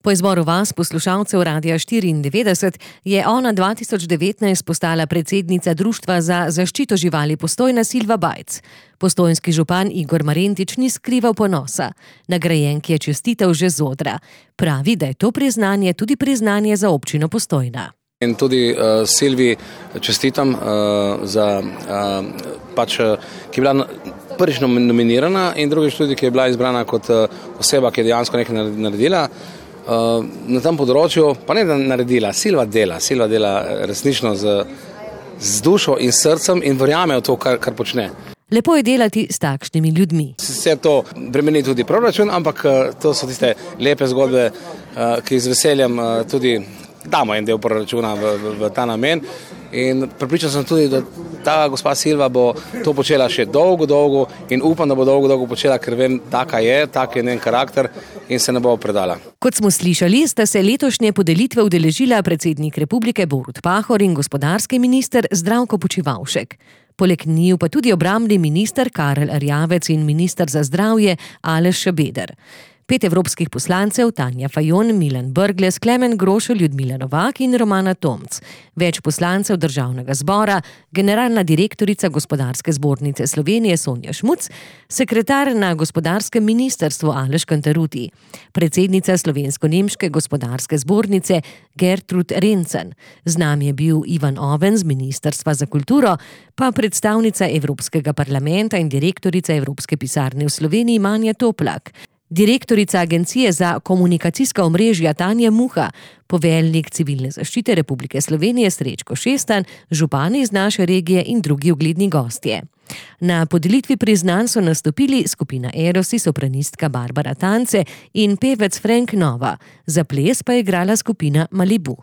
Po izboru vas, poslušalcev Radia 94, je ona 2019 postala predsednica Društva za zaščito živali Postojna Silva Bajc. Postojnski župan Igor Marentič ni skrival ponosa. Nagrajenki je čestitev že z odra. Pravi, da je to priznanje tudi priznanje za občino Postojna. In tudi Silvi čestitam, ki je bila prvič nominirana in drugič tudi, ki je bila izbrana kot oseba, ki je dejansko nekaj naredila. Na tem področju, pa ne da naredila, Silva dela resnično z dušo in srcem in verjame v to, kar počne. Lepo je delati s takšnimi ljudmi. Sicer to bremeni tudi proračun, ampak to so tiste lepe zgodbe, ki z veseljem tudi damo en del proračuna v ta namen. In pripričan sem tudi, da ta gospa Silva bo to počela še dolgo in upam, da bo dolgo počela, ker vem, tak je njen karakter in se ne bo predala. Kot smo slišali, sta se letošnje podelitve udeležila predsednik republike Borut Pahor in gospodarski minister Zdravko Počivalšek. Poleg njiju pa tudi obrambni minister Karel Erjavec in minister za zdravje Aleš Šabeder. 5 evropskih poslancev, Tanja Fajon, Milan Brglez, Klemen Grošelj, Ljudmila Novak in Romana Tomc. Več poslancev državnega zbora, generalna direktorica Gospodarske zbornice Slovenije Sonja Šmuc, sekretar na gospodarskem ministrstvu Aleš Kantaruti, predsednica Slovensko-nemške gospodarske zbornice Gertrud Rencen. Z nami je bil Ivan Oven z Ministrstva za kulturo, pa predstavnica Evropskega parlamenta in direktorica Evropske pisarne v Sloveniji Manja Toplak. Direktorica Agencije za komunikacijska omrežja Tanja Muha, poveljnik Civilne zaščite Republike Slovenije Srečko Šestan, župani iz naše regije in drugi ugledni gostje. Na podelitvi priznanj so nastopili skupina Erosi, sopranistka Barbara Tance in pevec Frank Nova. Za ples pa je igrala skupina Malibu.